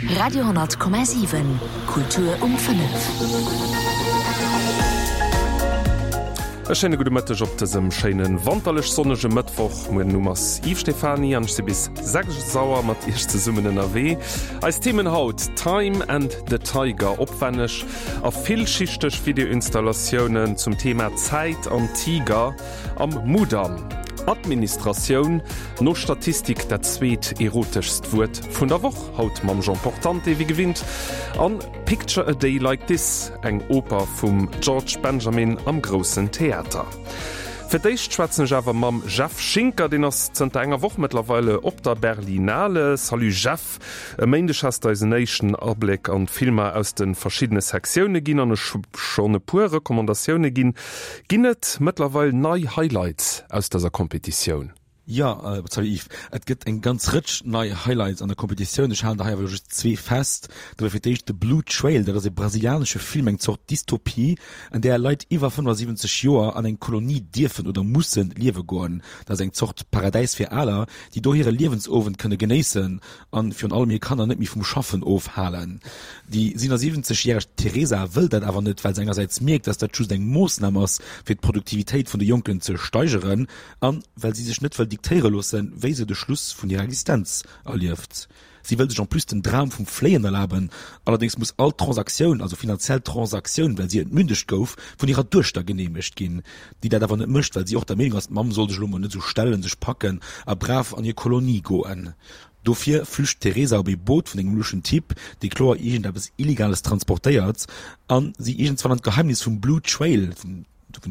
Radio,7 Kultur um 5. E schéine gudde Mëtteg op dësem schéine wanterlech sonnege Mëttwoch. Moien Numm ass Yves Stephany an ech si bis 6 Auer mat Iech zesummen ënnerwee. Eis Themen haut, Time and the Tiger, opwenneg a villschichteg Videoinstallatiounen zum Thema Zäit an Tiger am Mudam, Administratioun, no Statistik dat zweet eroteschst Wuert vun der Woch, haut mam Jean Portante wéi gewinnt, an Picture a Day Like This, eng Oper vum George Benjamin am Groussen Theater. Fir d'éischt schwätzen ech awer mam Jeff Schinker, deen ass zënter enger Woch mëttlerweile op der Berlinale. Salut Jeff, e Méindeg has de eis en éischten Abléck an d'Filmer aus de verschiddene Sektioune ginn an ech hu schonn e puer Recommandatioune ginn. Ginn et mëttlerweil nei Highlights aus dëser Kompetitioun? Jo, salut Yves, et gëtt eng ganz Rëtsch nei Highlights an der Kompetitioun. Ech halen der hei awer elo just zwee fest. Do wär fir d'éischt The Blue Trail, dat ass e brasilianesche Film, eng Zort Dystopie, an där Leit iwwer 75 Joer an eng Kolonie dierfen oder musse liewe goen. Dat ass eng Zort Paradäis fir Aler, déi do hire Liewensowend kënne genéissen an virun allem hir Kanner net méi vum Schaffen ofhalen. Déi 77 järeg Teresa wëll dat awer net, well se engersäits mierkt, dass dat just eng Moossnam ass, fir d'Produktivitéit vun de Jonken ze steigeren, an well si sech net wëll diktéiere loossen, wéi se de Schluss vun hirer Existenz erlieft. Si wëll sech en plus den Dram vum Fléien erlaben, allerdéngs muss all Transaktioun, also finanziell Transaktioun, well si entmündegt gouf, vun hirer Duechter geneemegt ginn, déi dat awer net mécht, well si och der Meenung ass, d'Mamm soll sech elo mol net esou stellen, sech packen a brav an hir Kolonie goen. Dofir flücht d'Teresa op ee Boot vun engem luschen Typ, dee kloer iergendeppes Illegales transportéiert, a si iergendswann an d'Geheimnis vum Blue Trail, vum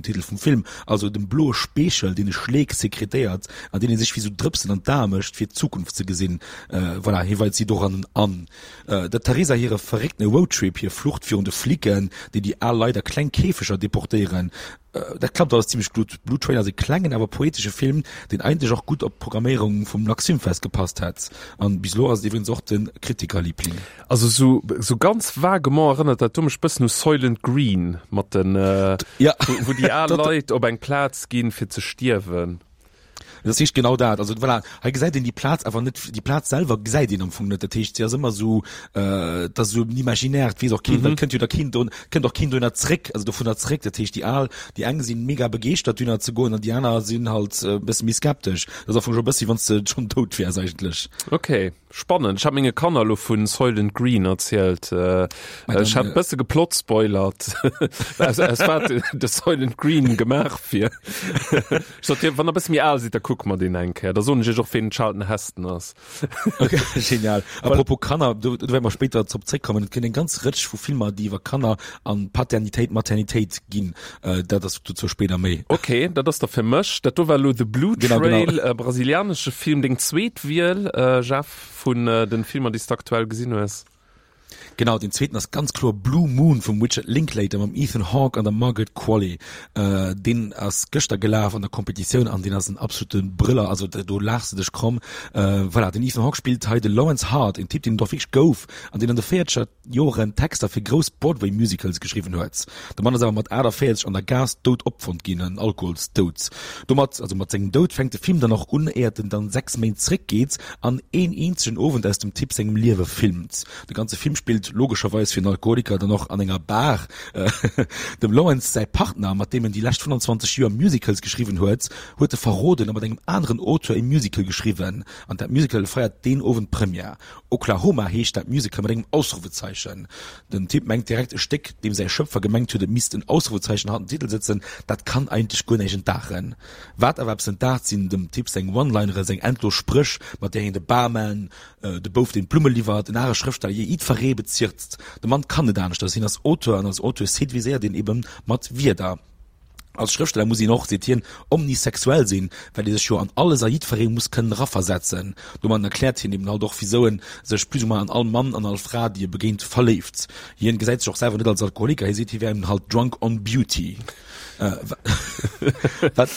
Titel vum Film, also dem bloe Speechel, deen e Schleek sekretéiert an deen ee sech wéi sou Drëpsen an d'Ae mécht, fir d'Zukunft ze gesinn. Voilà, hie weit si dorannen an. Der Teresa hire verrécktene Roadtrip, hir Flucht virun de Flicken, déi déi al Leit a kleng Käfeger deportéieren, Dat klappt alles zimlech gutt. Blue Train ass e klengen awer poetesche Film, deen eigentlech och gutt op d'Programméierung vum LuxFilmFest gepasst hätt. An bis elo ass et iwwregens och de Kritikerliebling. Also sou sou ganz vaguement erënnert dat do mech bëssen u Soylent Green mat den, Ja. wou déi al Leit op eng Plaz ginn fir ze stierwen. Dat heescht genau dat. Also voilà, hei gesäit een déi Plaz awer net, déi Plaz selwer gesäit een am Fong net. Dat heescht, si ass ëmmer esou, äh, dat ass esou en Imaginaire, et weess och keen, well et kënnt jo da keen do, kënnt och keen dohinner zréck, also dovunner zréck. Dat heescht, déi al, déi eng sinn mega begeeschtert dohinner ze goen an déi aner sinn halt e bësse méi skeptesch. Dat ass am Fong scho e bëssi, wann s de schonn dout wäers eigentlech. Okay. Spannend. Ech hat menge Kanner elo vun Soylent Green erzielt. Ech hat bësse geplotspoilert, aus, aus wat de Soylent Green gemaach wier. Ech sot, wann der bësse méi al sidd, da kucke mer deen eng Kéier. Da soen ech iech och, ween den Charlton Heston ass. Okay, genial. Apropos Kanner, do, do wäerte mer spéider drop zréckkommen. Et gëtt eng ganz Rëtsch vu Filmer, déi iwwer Kanner an Paternitéit, Maternitéit ginn. Dat ass dozou spéider méi. Okay, dat ass da fir mech. Dat do war elo The Blue Genau, genau. Trail, e brasilianesche Film. Deng zweet Wiel, Jeff, vun den Filmer, déi s de aktuell gesinn hues? Genau, deen zweeten ass ganz kloer Blue Moon vum Richard Linklater mam Ethan Hawke an der Margaret Qualley. Deen ass gëschter gelaf an der Competitioun an deen ass en absolute Brëller, also do laachs de dech kromm. Voilà, den Ethan Hawke spillt hei de Lawrence Hart, en Typ, deen et och wierklech gouf an deen an de véierzeger Joren Texter fir grouss Broadway-Musicals geschriwwen huet. De Mann ass awer mat 48 an der Gaass dout opfonnt ginn, en Alkoholsdoud. Domat, also mat sengem Doud, fänkt de Film dann och un, éiert en dann 6 Méint zréckgeet an een eenzegen Owend aus dem Typ sengem Liewe filmt. De ganze Film spillt, logescherweis fir en Alkoholiker, dann och an enger Bar. Dem Lawrence säi Partner, mat deem en déi lescht 25 Joer Musicals geschriwwen huet, huet e verroden a mat engem aneren Auteur e Musical geschriwwen. An dat Musical feiert deen Owend Première. Oklahoma heescht dat Musical mat engem Ausrufezeichen. Den Typ mengt direkt e Stéck, deem säi Schöpfer gemengt huet, et misst en Ausrufezeichen hannert dem Titel sëtzen, dat kann eigentlech guer näischt entdaachen. Wat awer eppes entdaacht, sinn dem Typ seng One-Lineren, seng endlos Spréch, mat där hien de Barman, de Bouf deen d'Blumme liwwert, en are Schrëftsteller, jee jiddferee bezirzt. De Mann kann net aneschters, hien ass Auteur an als Auteur séduiséiert een ebe mat Wierder. Als Schrëftsteller muss een och, seet hien, omnisexuell sinn, well ee sech jo an alles a jiddweree muss kënnen eraversetzen. Domadden erkläert hien eben halt och, wisou en sech plus ou moins an all Mann an all Fra, déi e begéint, verléift. Hien gesäit sech och selwer net als Alkoholiker, hie seet, hie wär eben halt drunk on beauty. Wat?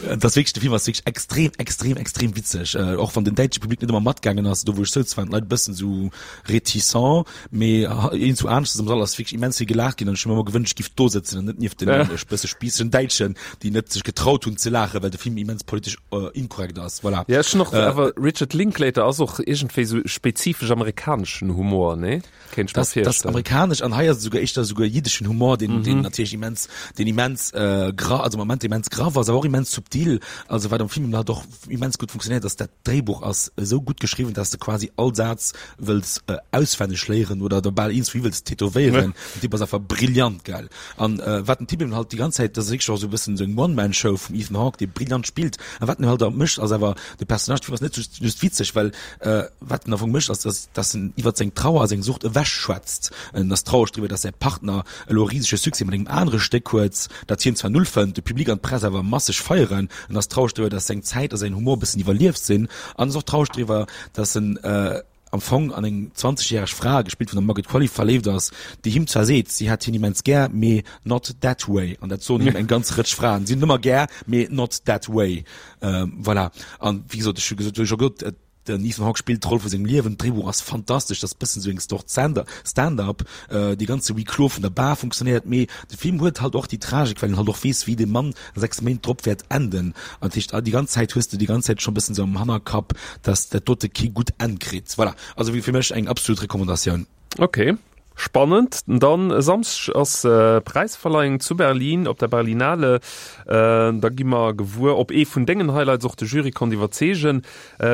Et ass wierklech, de Film ass wierklech extrem, extrem, extrem witzeg. Och wann den däitsche Public net ëmmer matgaangen ass, do wou ech souz, waren d'Leit e bëssen esou réticent, mee iergendwou aneschters am Sall ass wierklech immens vill gelaacht ginn an ech hu mir ëmmer gewënscht, ech giff do sëtzen an net nieft den e bësse spießegen Däitschen, déi net sech getraut hunn ze laachen, well de Film immens politesch inkorrekt ass. Voilà. Ja, ech hunn och, awer Richard Linklater ass och iergendwéi esou spezifesch amerikaneschen Humor, nee? Kéint ech mer virstellen. Das amerikanesch an hei ass et souguer éischter souguer jiddeschen Humor, deen, mm -hmm. deen natierlech immens, deen immens äh, gra, also am Moment immens grav ass, awer och immens subtil. Also wat am Film halt och immens gutt funktionéiert, ass dat Dréibuch ass esou gutt geschriwwen, dass de quasi all Saz wëlls äh, auswenneg léieren oder der bal eens wéi wëlls tätowéieren. Den Typ ass einfach brillant, gell. An äh, wat den Typ eben halt déi ganz Zäit, dat ass wierklech och esou e bëssen esou eng One-Man-Show vum Ethan Hawke, dee brillant spillt. An wat en halt och mécht, ass awer de Personnage, de Film ass net just, just witzeg, well äh, wat en am Fong mécht, ass, dass, dass en iwwert seng Trauer a seng Sucht ewech schwätzt. En ass traureg driwwer, dass säi Partner elo e risege Succès mat engem anere Stéck huet, dat hien zwar null fënnt, de Public an d'Press awer masseg feieren. En ass traureg driwwer, dass seng Zäit a säin Humor e bëssen iwwerlieft sinn. An ass och traureg driwwer, dass en äh, am Fong an eng 20 järeg Fra, gespillt vun der Margaret Qualley, verléift ass, déi him zwar seet, si hätt hien immens gär, mee not that way. An dat soen him eng ganz Rëtsch Fraen, si hunn en ëmmer gär, mee not that way. Voilà. An wéi gesot, ech hu gesot, wéi scho gesot, den Ethan Hawke spillt d'Roll vu sengem Liewen, d'Dréibuch ass fantastesch, dat ass bëssen esou eng Zort Stand-up, dee ganze Huis clos vun der Bar funktionéiert, mee de Film huet halt och déi Tragik, well een halt och weess, wéi dee Mann 6 Méint drop wäert enden. An dat heescht, déi ganz Zäit hues de déi ganz Zäit scho bëssen esou am Hannerkapp, dass dat dote kee gutt Enn kritt. Voilà. Also fir mech eng absolut Recommandatioun. Ok, spannend. Dann e Samschdeg ass Präisverleihung zu Berlin op der Berlinale. Da gi mer gewuer, ob ee vun dengen Highlights och de Jury konnt iwwerzeegen.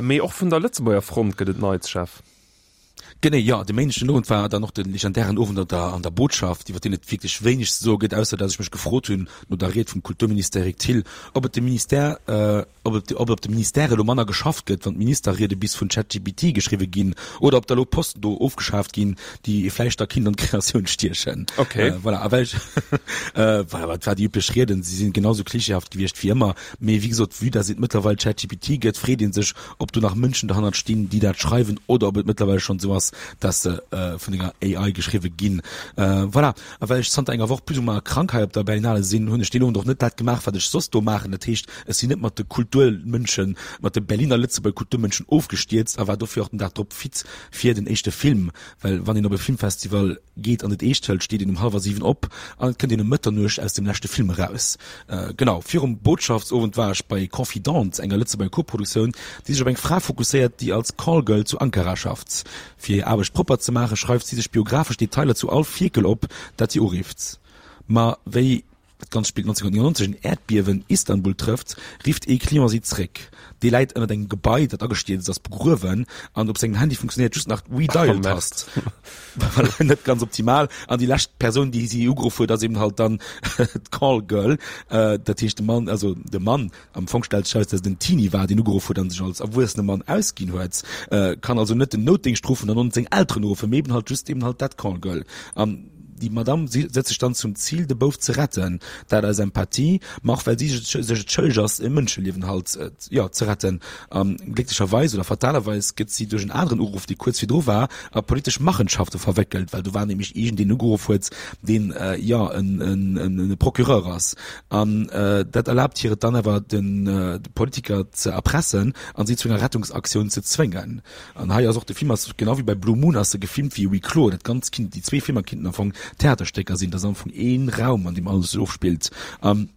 Mee och vun der Lëtzebuerger Front gëtt et Neits, Jeff. Genee, jo. De Méindeg den Owend war dann och de legendären Owend an der an der Botschaft, iwwer deen et wierklech wéineg ze soe gëtt, ausser datt ech mech gefrot hunn, no der Ried vum Kulturminister Eric Thill, ob et dem Ministère, ob et ob op de Ministèrë elo manner geschafft gëtt, wann d'Ministerriede bis vun ChatGPT geschriwwe ginn, oder ob da elo Posten do ofgeschaaft ginn, déi ee vläicht da kinnt an d'Kreatioun stiechen. Okay. Voilà, a well ech, voilà, et war déi üblech Rieden, si sinn genau sou klischeehaft gewiescht wéi ëmmer, mee wéi gesot, vue dass et mëttlerweil ChatGPT gëtt, freet ee sech, ob do nach Mënschen derhannert stinn, déi dat schreiwen, oder ob et mëttlerweil schonn esou ass, dass se vun enger AI geschriwwe ginn. Voilà. A well ech zanter enger Woch plus ou moins krank hei op der Berlinale sinn, hunn ech deen Owend och net dat gemaach, wat ech soss do maachen. Dat heescht, ech sinn net mat de Kulturmënschen, mat de Berliner Lëtzebuerger Kulturmënschen ofgestierzt a war dofir och den Dag drop fit fir den éischte Film. Well wann een op e Filmfestival geet an et eescht hëlt, steet een um hallwer 7 op an et kënnt een um Mëtternuecht aus dem leschte Film eraus. Genau virum Botschaftsowend war ech bei Confidente, enger Lëtzebuerger Koproduktioun, déi sech op eng Fra fokusséiert, déi als Callgirl zu Ankara schafft. Fir hir Aarbecht propper ze maachen, schreift si sech biographesch Detailer zu all Fierkel op, dat si urifft. Ma wéi dat Ganzt spillt 1999, en Äerdbiewen Istanbul trëfft, rifft ee Client si zréck. Dee läit ënnert engem Gebai, dat agestierzt ass, begruewen an op sengem Handy funktionéiert just nach d'Redial-Tast. Voilà, net ganz optimal. An déi lescht Persoun, déi si ugeruff huet, ass eben halt dann d'Call-Girl. Dat heescht de Mann, also de Mann, Am Fong stellt sech eraus, dass et en Teenie war, deen ugeruff huet an sech als erwuessene Mann ausginn huet. Kann also net den Noutdéngscht ruffen an och net seng Elteren uruffen, mee eben halt just eben halt dat Call-Girl. An déi Madame setzt sech dann zum Zil, de Bouf ze retten. Dat aus Empathie, ma och well si sech et schëlleg ass, e Mënscheliewen halt, jo, ze retten. A glécklecherweis oder fatalerweis gëtt si duerch en aneren Uruff, dee kuerz virdru war, a politesch Machenschafte verwéckelt, well do war nämlech iergendeen ugeruff huet, deen, jo, en e Procureur ass. An dat erlaabt hir et dann awer, de Politiker ze erpressen an si zu enger Rettungsaktioun ze zwéngen. An hei ass och, de Film ass, genau wéi bei Blue Moon, ass e gefilmt wéi e Huis clos. Dat Ganzt kinnt, déi zwee Filmer kinnten am Fong Theaterstécker sinn. Dat ass am Fong ee Raum, an deem alles sech ofspillt. An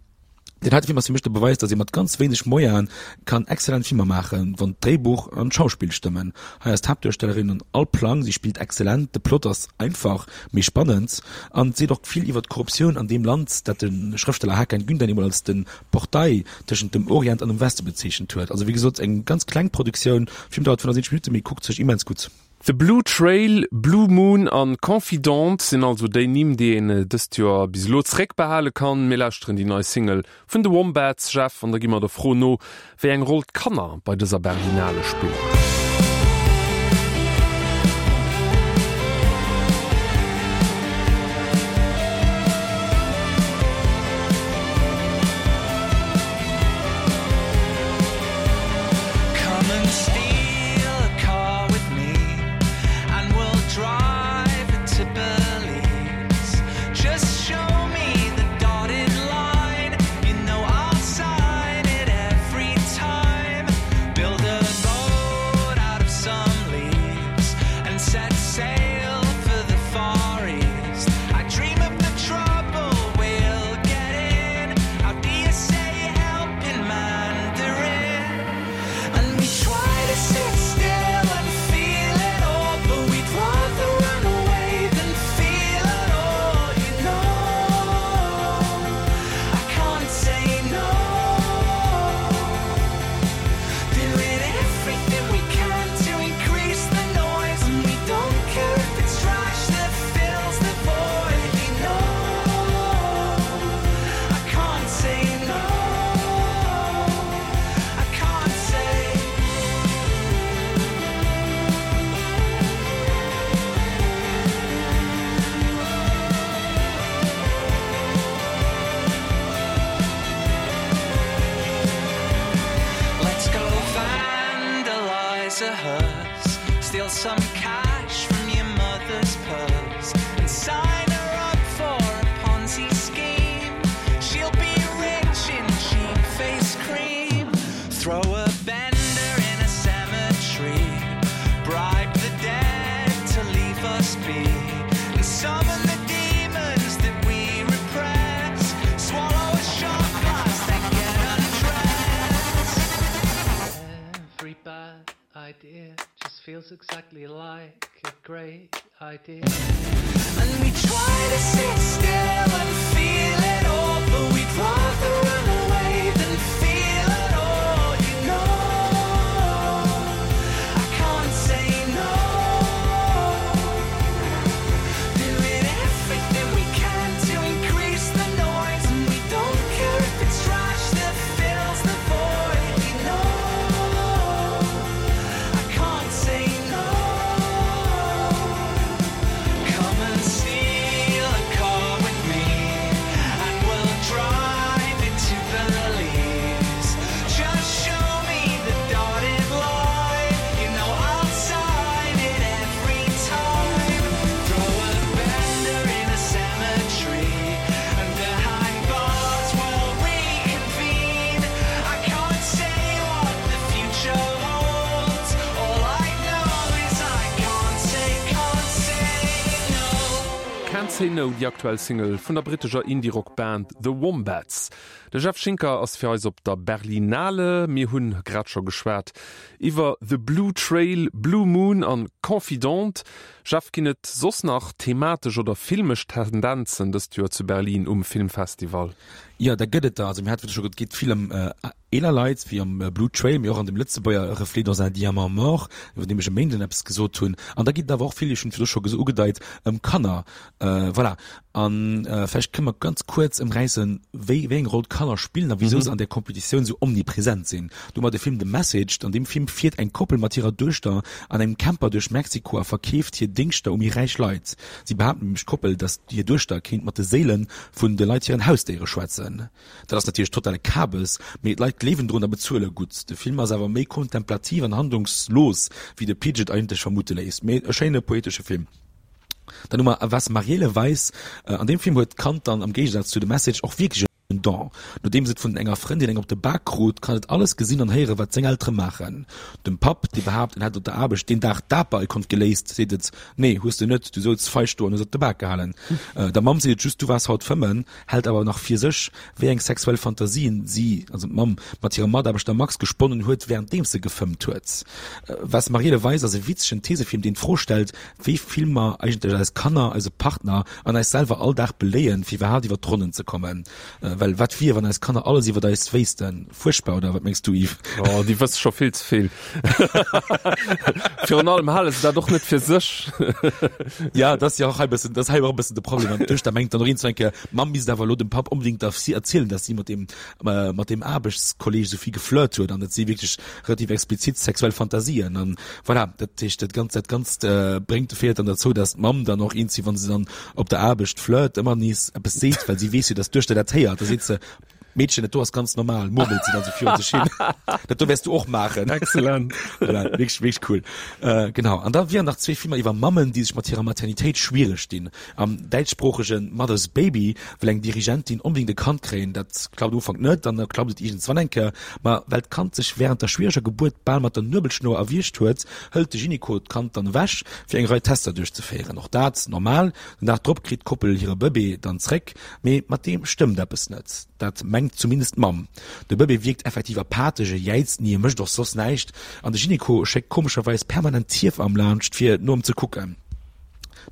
deen heite Film ass fir mech de Beweis, datt ee mat ganz wéineg Moyene kann exzellent Filmer maachen, wann d'Dréibuch an d'Schauspill stëmmen. Hei ass d'Haaptduerstellerin an all Plang, si spillt exzellent, de Plot ass einfach, mee spannend an seet och vill iwwer d'Korruptioun an deem Land, dat de Schrëftsteller Hakan Gündän eemol als de Portail tëschent dem Orient an dem Weste bezeechent huet. Also wéi gesot, eng ganz kleng Produktioun, Film dauert 75 Minutten, mee kuckt sech immens gutt. The Blue Trail, Blue Moon an Confidante sinn also déi Nimm, déi een dëst Joer bis elo zeréckbehale kann. Mir lauschteren déi nei Single vun de Wombats, Jeff, an da gi mer der Fro no, wéi eng Roll d'Kanner bei dëser Berlinale spillen. us. Steal some cash from your mother's purse and sign her up for a Ponzi scheme. She'll be rich in cheap face cream. Throw a bender in a cemetery. Bribe the dead to leave us be. And summon the demons that we repress. Swallow a shot glass, then get undressed. Every bad idea just feels exactly like a great idea. And we try to sit still and feel it all, but we'd rather run away than feel at all, you know. I can't say no. Doing everything we can to increase the noise, and we don't care if it's trash that fills the void, you know. I can't say no. Come and steal a car with me, and we'll drive it to Belize. Just show me the dotted line, you know I'll sign it every time. Throw a bender in a cemetery, and behind bars we'll reconvene. I can't say what the future holds. All I know is I can't say, can't say no. Can't Say No, déi aktuell Single vun der brittescher Indie-Rock-Band The Wombats. De Jeff Schinker ass fir eis op der Berlinale. Mir hunn grad scho geschwat iwwer The Blue Trail, Blue Moon an Confidante. Jeff, ginn et soss nach thematesch oder filmesch Tendenzen dëst Joer zu Berlin um Filmfestival? Jo, dat gëtt et der. Also mir hate scho, et geet vill ëm eeler Leit, wéi am Blue Trail, mee och an dem Lëtzebuerger Reflet dans un diamant mort, iwwer deem ech e Méinden eppes gesot hunn. An da geet et awer och vill, ech hunn et virdru scho ugedeit, ëm Kanner. Voilà. A vläicht kënne mer ganz kuerz ëmräissen, wéi, wéi eng Roll d'Kanner spillen a wisou se an där Kompetitioun esou omnipresent sinn. Do hu mer de Film The Message. An deem Film fiert eng Koppel mat hirer Duechter an engem Camper duerch Mexiko a verkeeft hir Déngschter u méi räich Leit. Si behaapten nämlech, d'Koppel, datt hir Duechter kéint mat de Séile vun de Leit hiren Hausdéiere schwätzen. Dat ass natierlech totale Kabes, mee d'Leit gleewen drun a bezuele gutt. De Film ass awer méi kontemplativ an handlungslos, wéi de Pitch et eigentlech vermute léisst, mee e schéine poetesche Film. Dann hu mer Was Mariele weiß. An deem Film huet d'Kand dann am Géigesaz zu The Message och wierklech en Don. Nodeems et vun enger Frëndin eng op de Bak krut, kann et alles gesinn an héieren, wat seng Eltere maachen. Dem Papp, dee behaapt, en hätt op der Aarbecht deen Dag d'Aper-Ikon geléist, seet et, Nee, hues de net, du souz feig do an hues op de Bak gehalen. Der Mamm seet et just, Du waars haut fëmmen. hält awer nach fir sech, wéi eng sexuell Fantasien si, also d'Mamm, mat hirem Mataarbechter Max gesponnen huet, wärenddeems se gefëmmt huet. Was Mariele Weiß ass e witzegen Thesefilm, deen d'Fro stellt, wéi vill mer eigentlech eis Kanner, eise Partner an eis selwer all Dag beléien, fir iwwerhaapt iwwer d'Ronnen ze kommen. Well wat wier, wann eis Kanner alles iwwer eis wéissten? Fuerchtbar, oder wat mengs du, Yves? Oh, déi wësse scho vill ze vill. Virun allem hale se dat och net fir sech. Ja, dat ass jo och hei e bëssen, dat ass hei och e bëssen de Problem. An d'Duechter mengt dann och iergendwann eng Kéier, d'Mamm misst awer elo dem Papp onbedéngt da si erzielen, dass si mat deem, mat deem Aarbechtskolleeg esou vill geflirt huet an dat si wierklech relativ explizit sexuell Fantasien. An voilà, dat heescht, dat Ganzt, dat Ganzt bréngt, féiert dann derzou, dass d'Mamm dann och iergendwéi, wa se dann op der Aarbecht flirt, ëmmer nees eppes seet, well si weess jo, dass d'Duechter dat héiert. Da seet se, Meedchen, dat do ass ganz normal, murmelt si dann sou virun sech hin. Dat do wäers du och maachen. Excellent. Voilà, wierklech, wierklech cool. Äh, genau. An da wieren nach zwee Filmer iwwer Mammen, déi sech mat hirer Maternitéit schwiereg dinn. Am däitschsproochege Mother's Baby wëll eng Dirigentin onbedéngt e Kand kréien. Dat klappt am Ufank net, dann klappt et iergendswann eng Kéier. Ma well d'Kand sech wärend der schwiereger Gebuert bal mat der Nuebelschnour erwiergt huet, hëlt de Gyneko d'Kand dann ewech, fir eng Rei Tester duerchzeféieren. Och dat normal. Den Dag drop kritt d'Koppel hire Bëbee dann zréck. Mee mat deem stëmmt eppes net. Dat mengt zumindest d'Mamm. De Bëbee wierkt effektiv apathesch, e jäizt ni, e mécht och soss näischt an de Gyneko schéckt komescherweis permanent d'Hiewamm laanscht fir no em ze kucken.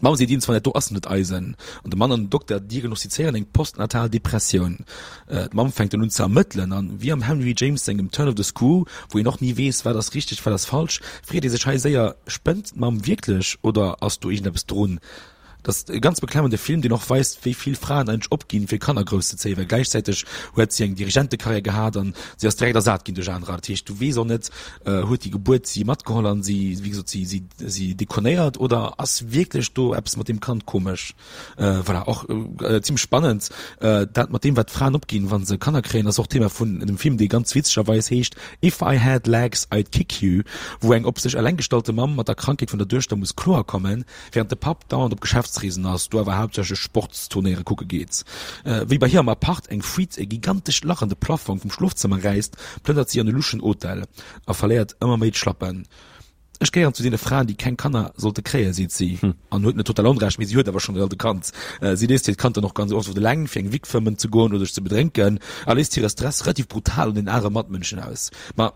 D'Mamm seet iergendswann, dat do ass net eisen. An de Mann an den Dokter diagnostizéieren eng postnatal Depressioun. D'Mamm fänkt dann un ze ermëttelen an, wéi am Henry James sengem Turn of the Screw, wou een och ni weess, wat ass richteg, wat ass falsch, freet ee sech hei séier, Spënnt d'Mamm wierklech oder ass do iergendeppes drun? Dat ass e ganz beklemmende Film, deen och weist, wéi vill Fraen eigentlech opginn, fir Kanner grousszezéien, well gläichzäiteg huet si eng Dirigentekarriär gehat an si ass direkt ersat ginn duerch anerer. Dat heescht, du weess och net, huet déi Gebuert si matgeholl an si, wéi gesot, si, si, si dekonéiert oder ass wierklech do eppes mat deem Kand komesch? Voilà, och zimmlech spannend. Dat mat deem, wat d'Fraen opginn, wa se Kanner kréien, ass och Thema vun engem Film, dee ganz witzegerweis heescht If I Had Legs, I'd Kick You, wou eng op sech eleng gestallte Mamm mat der Krankheet vun der Duechter muss kloerkommen, Während de Papp dauernd op Geschäftsreesen ass, do awer haaptsächlech Sportsturnéiere kucke geet. Wéi bei hir am Apart eng Fuite e gigantescht Lach an de Plaffong vum Schlofzëmmer räisst, plënnert si an e luschen Hotel a verléiert ëmmer méi d'Schlappen. Ech gehéieren zu deene Fraen, déi keng Kanner sollte kréien, seet si an huet net total Onrecht, mee si huet awer schonn e Kand. Si léisst hiert Kand dann och ganz oft eleng, fir eng Wick fëmmen ze goen oder sech ze bedrénken a léisst hire Stress relativ brutal un den anere Matmënschen aus. Ma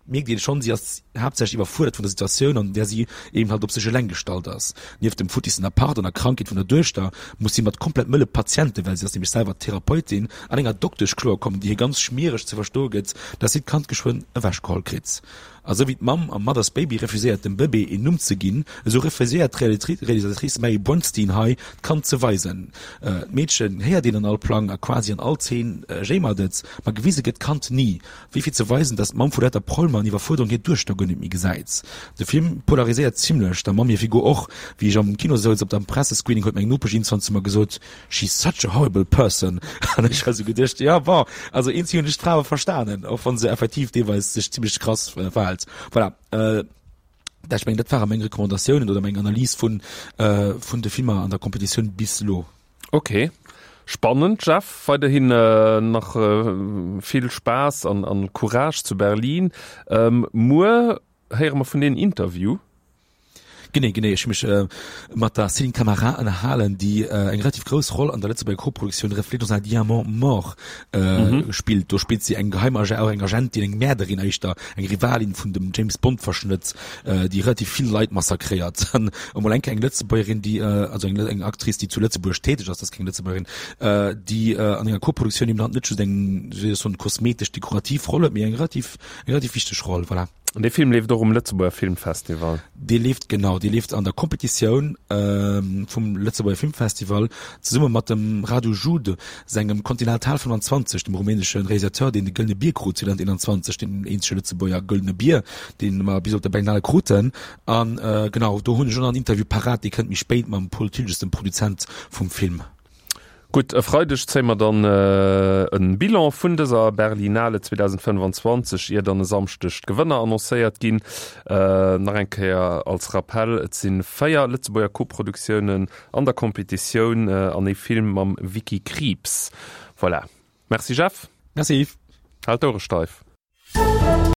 mierkt een schonn, si ass haaptsächlech iwwerfuerdert vun der Situatioun, an där si eben halt op sech eleng gestallt ass. Nieft dem futtissen Apart an der Krankheet vun der Duechter muss si mat komplett mëlle Patienten, well si ass nämlech selwer Therapeutin, an enger Doktesch kloerkommen, déi hir ganz schmiereg ze verstoe gëtt, dass si d'Kand geschwënn ewechgeholl kritt. A sou wéi d'Mamm am Mother's Baby refuséiert dem Bëbee een Numm ze ginn, esou refuséiert d'Realisatrice Mary Bronstein hei, d'Kand ze weisen. D'Meedchen héiert een an all Plang a quasi an all Zeen jéimert et, ma gewise gëtt d'Kand ni. Wéi fir ze weisen, dass d'Mamm vu lauter Prolmer an Iwwerfuerderung hir Duechter guer net méi gesäit. De Film polariséiert zimlech, der Mamm hir Figur och. Wéi ech am Kino souz op der Pressescreening huet meng Nopesch iergendwann zu mer gesot, She's such a horrible person. An ech hu sou geduecht, jo bon, also eenzi hunn ech d'Fra awer verstanen, och wann se effektiv deelweis sech zimlech krass verhält. Voilà, dat, ech mengen, dat ware meng Recommandatiounen oder meng Analys vun vun de Filmer an der Competitioun bis elo. Ok, spannend Jeff, weiderhin nach vill Spaass an an Courage zu Berlin. Muer héiere mer vun dir en Interview. Genee, genee. Ech hu mech mat der Céline Camara ënnerhalen, déi eng relativ grouss Roll an der Lëtzebuerger Koproduktioun Reflets dans un diamant mort spillt. Do spillt si eng Geheimagent, och eng Agentin, eng Mäerderin éischter, eng Rivalin vun dem James Bond Verschnëtt, déi relativ vill Leit massakréiert. An emol eng Kéier eng Lëtzebuergerin, déi, also eng, eng Actrice, déi zu Lëtzebuerg täteg ass, dat ass keng Lëtzebuergerin, déi an enger Koproduktioun eben halt net just eng, wéi soll ech soen, kosmetesch-dekorativ Roll huet, mee eng relativ, eng relativ wichteg Roll, voilà. An dee Film leeft och um Lëtzebuerger Filmfestival? Dee leeft, genau, dee leeft an der Kompetitioun vum Lëtzebuerger Filmfestival zesumme mat dem Radu Jude sengem Continental 25, dem rumänesche Realisateur, deen de Gëllene Bier krut 2021, deen eenzege Lëtzebuerger Gëllene Bier, dee mer bis op der Berlinale kruten. An genau, do hunn ech och nach en Interview parat, dee kënnt méi spéit mam Paul Thiltges, dem Produzent vum Film. Gutt, e Freideg zéie mer dann e Bilan vun dëser Berlinale 2025, ier dann e Samschdeg d'Gewënner annoncéiert ginn. Nach eng Kéier als Rappell, Et si 4 Lëtzebuerger Koproduktiounen an der Kompetitioun an ee Film mam Vicky Krieps. Voilà. Merci Jeff. Merci Yves. Hal d'Ouere steif.